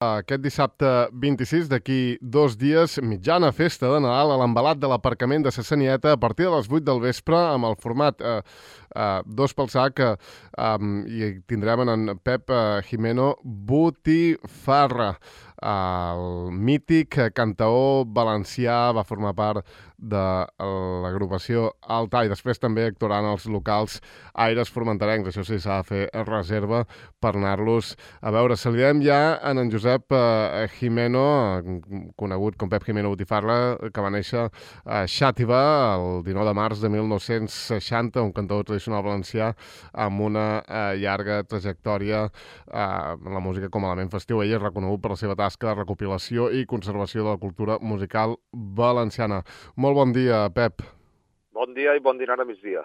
Aquest dissabte 26, d'aquí 2 dies, mitjana festa de Nadal a l'embalat de l'aparcament de Sassanieta a partir de les 8 del vespre amb el format 2 pel sac i tindrem en Pep Jimeno Botifarra. El mític cantaor valencià va formar part de l'agrupació Alta i després també actuaran els locals Aires Formenterencs. Això sí, s'ha de fer reserva per anar-los a veure. Saludem ja en Josep Jimeno, conegut com Pep Jimeno Botifarra, que va néixer a Xàtiva el 19 de març de 1960, un cantaor tradicional valencià amb una llarga trajectòria en la música com a element festiu. Ell és reconegut per la seva tasca de recopilació i conservació de la cultura musical valenciana. Molt bon dia, Pep. Bon dia i bon dinar a migdia.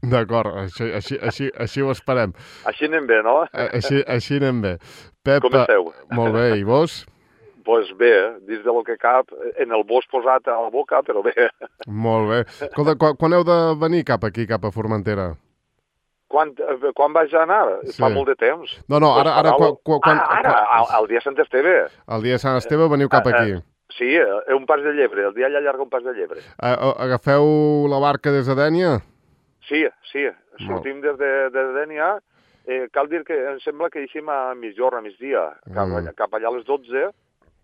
D'acord, així ho esperem. Així anem bé, no? Així anem bé. Pep, com esteu? Molt bé, i vos? Doncs bé, dins del que cap, en el bosc posat a la boca, però bé. Molt bé. Escolta, quan heu de venir cap aquí, cap a Formentera? Quan vaig anar? Sí. Fa molt de temps. No, ara... El dia Sant Esteve. El dia Sant Esteve veniu cap aquí. Sí, un pas de llebre, el dia allà llarga un pas de llebre. Agafeu la barca des de Dénia? Sí, sortim des de Dénia. Cal dir que em sembla que eixim a mitjorn, a migdia, cap allà a les 12,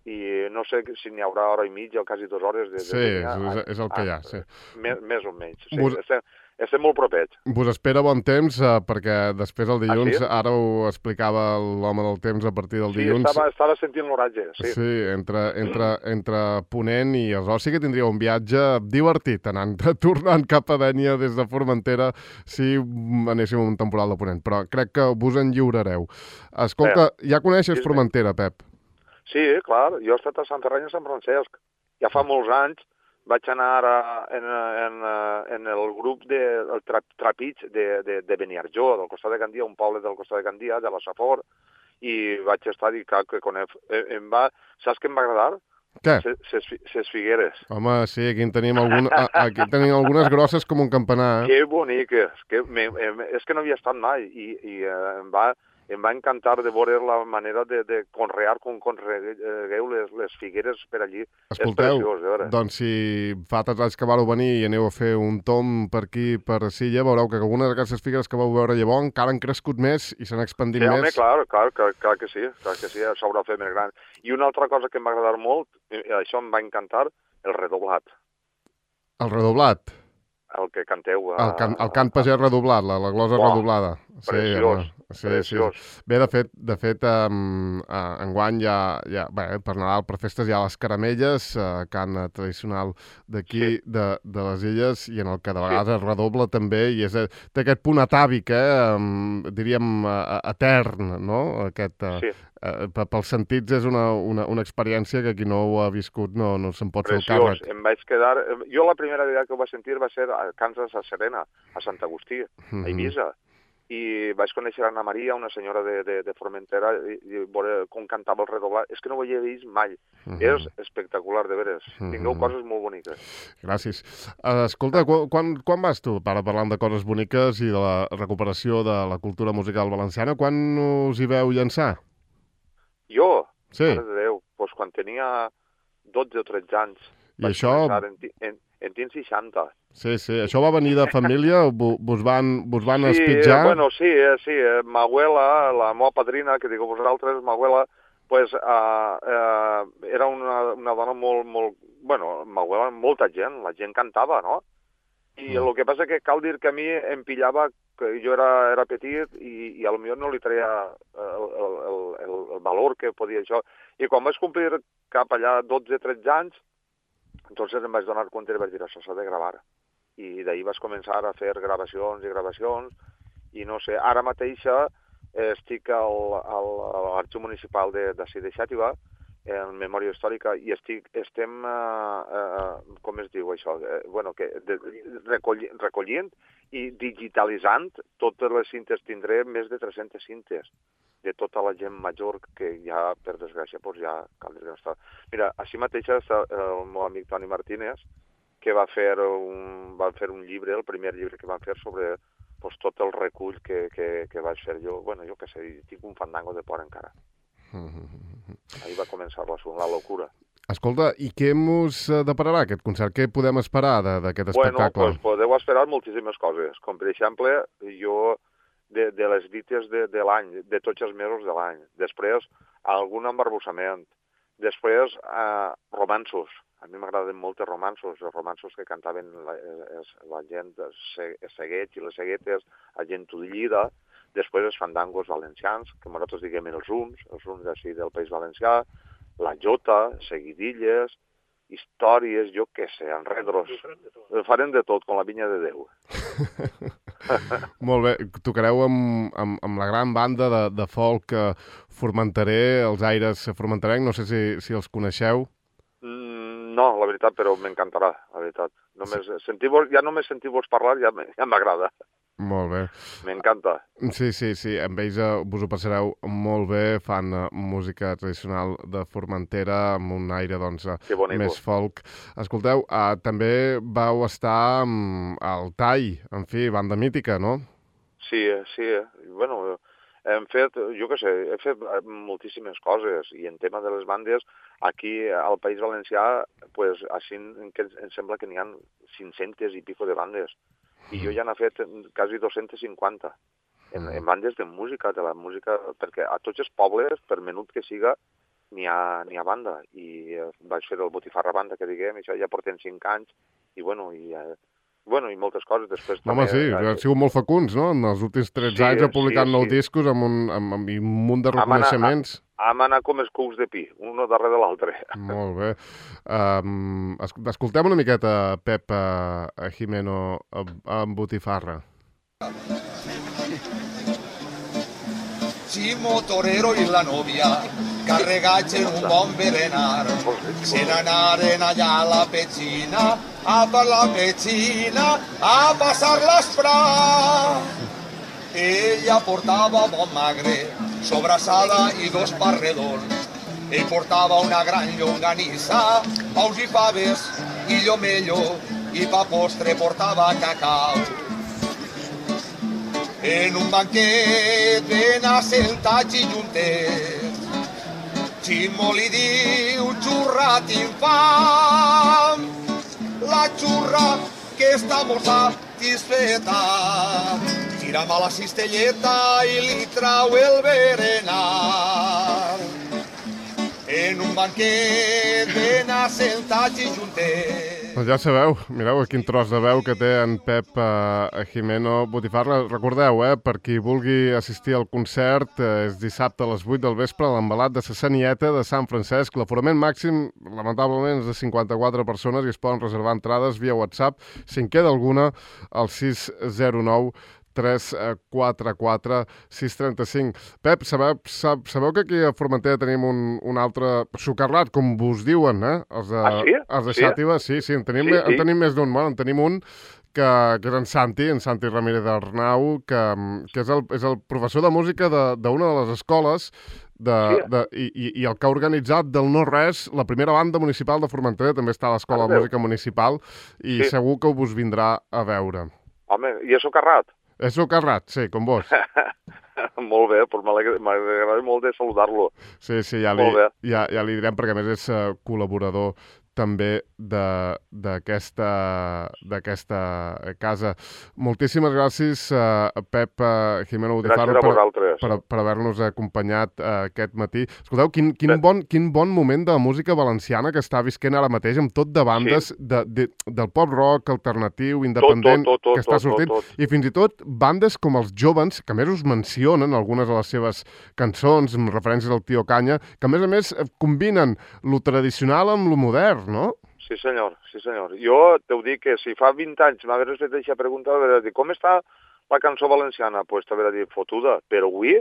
i no sé si n'hi haurà hora i mitja o quasi 2 hores de Dénia. Sí, és el que hi ha, sí. Més o menys, sí. Estem molt propets. Vos espera bon temps, perquè després el dilluns, ara ho explicava l'home del temps a partir del dilluns. Sí, estava sentint l'oratge, sí. Sí, entre Ponent i Arròs sí que tindria un viatge divertit, tornant cap a Dénia des de Formentera, si anéssim a un temporal de Ponent, però crec que vos en lliurareu. Escolta, ja coneixes Formentera, Pep? Sí, clar, jo he estat a Sant Ferran i a Sant Francesc. Ja fa molts anys vaig anar en el grup del Trapig de Beniarjó, del costat de Gandia, un poble del costat de Gandia, de la Safor, i vaig estar i clar que conec. Saps què em va agradar? Què? Ses figueres. Home, sí, aquí en tenim algunes grosses com un campanar. Que boniques. És que no havia estat mai i em va encantar de veure la manera de conrear com conregueu les figueres per allí. Escolteu, és preciós, de veure. Doncs si fa tants anys que vareu venir i aneu a fer un tom per aquí, per Silla, veureu que algunes d'aquestes figueres que vau veure llavors encara han crescut més i s'han expandit més. Home, clar que sí, s'haurà fet més gran. I una altra cosa que em va agradar molt, això em va encantar, el redoblat. El redoblat? El que canteu. El cant pagès redoblat, la glosa redoblada. Preciós. Bé, de fet, enguany per Nadal, per festes, hi ha les caramelles, cant tradicional d'aquí, de les illes, i en el que de vegades es redobla també, i té aquest punt atàvic, diríem, etern, no? Sí. Pels sentits és una experiència que qui no ho ha viscut no se'n pot fer el càrrec. Em vaig quedar... Jo la primera vegada que ho vaig sentir va ser a Kansas, a Serena, a Sant Agustí, a Eivissa. I vaig conèixer Anna Maria, una senyora de Formentera, i veure com cantava el redoblat. És que no ho havia vist mai. És espectacular, de veres. Tingueu coses molt boniques. Gràcies. Escolta, quan vas tu, parlant de coses boniques i de la recuperació de la cultura musical valenciana, quan us hi veu llançar? Jo? Sí. Mare de Déu, doncs quan tenia 12 o 13 anys. I això... En tinc 60. Sí, això va venir de família? Vos van espitjar? Bueno, sí. Ma abuela, la meva padrina, que digueu vosaltres, ma abuela, pues, era una dona molt... Bueno, ma abuela, molta gent, la gent cantava, no? I el que passa que cal dir que a mi em pillava, que jo era petit i a lo millor no li treia el valor que podia això. I quan vaig complir cap allà 12-13 anys, entonces em vaig donar compte i vaig dir, això s'ha de gravar. I d'ahir vaig començar a fer gravacions, i no sé, ara mateix estic a l'Arxiu Municipal d'ací de Xàtiva, en memòria històrica, i estem, com es diu això, recollint i digitalitzant totes les cintes. Tindré més de 300 cintes de tota la gent major que ja, per desgràcia, doncs ja cal dir que no està. Mira, així mateix està el meu amic Toni Martínez, que va fer un llibre, el primer llibre que van fer sobre tot el recull que vaig fer jo. Bueno, jo què sé, tinc un fandango de por encara. Ahí va començar la locura. Escolta, i què mos depararà aquest concert? Què podem esperar d'aquest espectacle? Bueno, pues podeu esperar moltíssimes coses, com per exemple, jo de les dites de l'any, de tots els mesos de l'any. Després, algun embarbussament. Després, romanços. A mi m'agraden molt els romanços que cantaven la gent, els seguets i les seguetes, la gent tudillida. Després, els fandangos valencians, que nosaltres diguem els uns així del País Valencià, la jota, seguidilles, històries, jo què sé, enredros. Farem de tot, com la vinya de Déu. Molt bé. Tocareu amb la gran banda de folk formenterer, els Aires formenterencs. No sé si els coneixeu. No, la veritat, però m'encantarà, la veritat. Ja només sentir-vos parlar ja m'agrada. Molt bé. M'encanta. Sí, amb ells vos ho passareu molt bé, fan música tradicional de Formentera amb un aire més folk. Escolteu, també vau estar al TAI, en fi, banda mítica, no? Sí. Bueno, hem fet, jo què sé, he fet moltíssimes coses i en tema de les bandes, aquí al País Valencià, pues, així em sembla que n'hi ha 500 i pico de bandes. I jo ja n'he fet quasi 250 en bandes de música, perquè a tots els pobles, per menut que siga, n'hi ha banda. I vaig fer el Botifarra Banda, que diguem, això ja portem 5 anys, i i moltes coses. Després home, sí, han sigut molt fecunds, no? En els últims 13 anys ha publicat 9 discos amb un munt de reconeixements. Hem anat com els cucs de pi, un darrere de l'altre. Molt bé. Escoltem una miqueta Pep Jimeno amb Botifarra. Chimo Torero y la novia carregats en un bon berenar se n'anaren allà a la petxina a per la petxina a passar l'esprà. Ella portava bon magre, sobrassada i 2 parredons. Ell portava una gran llonganissa, paus i faves i llomello, i pa postre portava cacau. En un banquet ben assentats i juntets, Ximo li diu, xurra t'infam, la xurra que està molt satisfeta. Tira'm a la cistelleta i li trau el berenar. En un banquet ben assentats i juntets. Doncs ja sabeu, mireu quin tros de veu que té en Pep Jimeno Botifarra. Recordeu, per qui vulgui assistir al concert, és dissabte a les 8 del vespre a l'Embalat de la Sanieta de Sant Francesc. L'aforament màxim, lamentablement, és de 54 persones i es poden reservar entrades via WhatsApp. Si en queda alguna, al 609 344 635. Pep, sabeu que aquí a Formentera tenim un altre socarrat, com vos diuen, Els de Xàtiva? Sí, en tenim més d'un. Bueno, en tenim un que és en Santi Ramírez Arnau, que és el professor de música d'una de les escoles i el que ha organitzat del no-res la primera banda municipal de Formentera. També està a l'Escola de Música Municipal i segur que us vindrà a veure. Home, i és socarrat? És socarrat, sí, com vos. Molt bé, però m'agrada molt de saludar-lo. Sí, ja li direm, perquè a més és col·laborador també d'aquesta casa. Moltíssimes gràcies, Pep Jimeno Botifarra, per haver-nos acompanyat aquest matí. Escolteu, quin bon moment de música valenciana que està visquent ara mateix, amb tot de bandes del pop-rock alternatiu, independent, que està sortint, i fins i tot bandes com els Jóvens, que a més us mencionen algunes de les seves cançons, amb referències al Tio Canya, que a més combinen lo tradicional amb lo modern, no? Sí, senyor. Jo t'ho dic que si fa 20 anys m'hagués fet aquesta pregunta, t'hauria dit, com està la cançó valenciana? Doncs t'hauria dit, fotuda. Però avui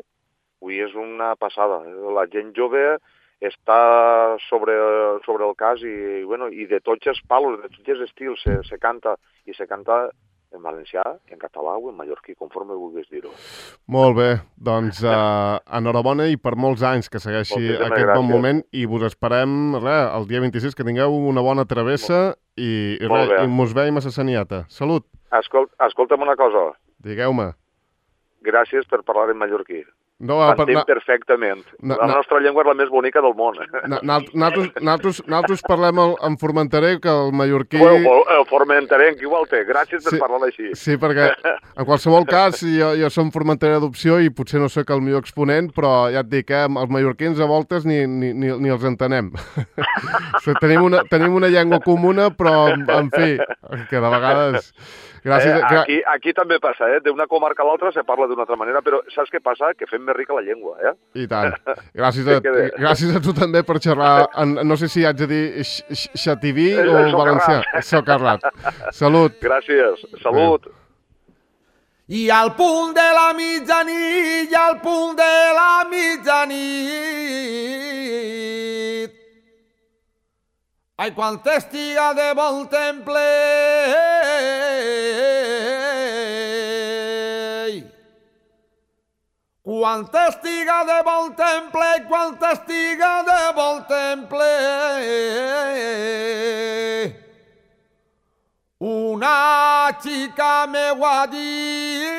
és una passada. La gent jove està sobre el cas i de tots els palos, de tots els estils se canta, i se canta en valencià, en català o en mallorquí, conforme vulguis dir-ho. Molt bé, doncs enhorabona i per molts anys que segueixi aquest bon moment i vos esperem el dia 26, que tingueu una bona travessa i mos veiem a la Sanieta. Salut! Escolta'm una cosa. Digueu-me. Gràcies per parlar en mallorquí. No, S'entén perfectament. La nostra llengua és la més bonica del món. Nosaltres parlem en formenterè, que el mallorquí... El formenterenc, igual té. Gràcies per parlar així. Sí, perquè en qualsevol cas jo som formenterè d'adopció i potser no sóc el millor exponent, però ja et dic, els mallorquins a voltes ni els entenem. Tenim una llengua comuna, però, en fi, que de vegades... Aquí també passa, d'una comarca a l'altra se parla d'una altra manera, però saps què passa? Que fem més rica la llengua, I tant. Gràcies a tu també per xerrar, no sé si haig de dir xativí o valencià. Socarrat. Salut. Gràcies. Salut. I al punt de la mitjanit, ai, quan estiga de bon temple, quan estiga de bon temple, una xica me ho ha dit,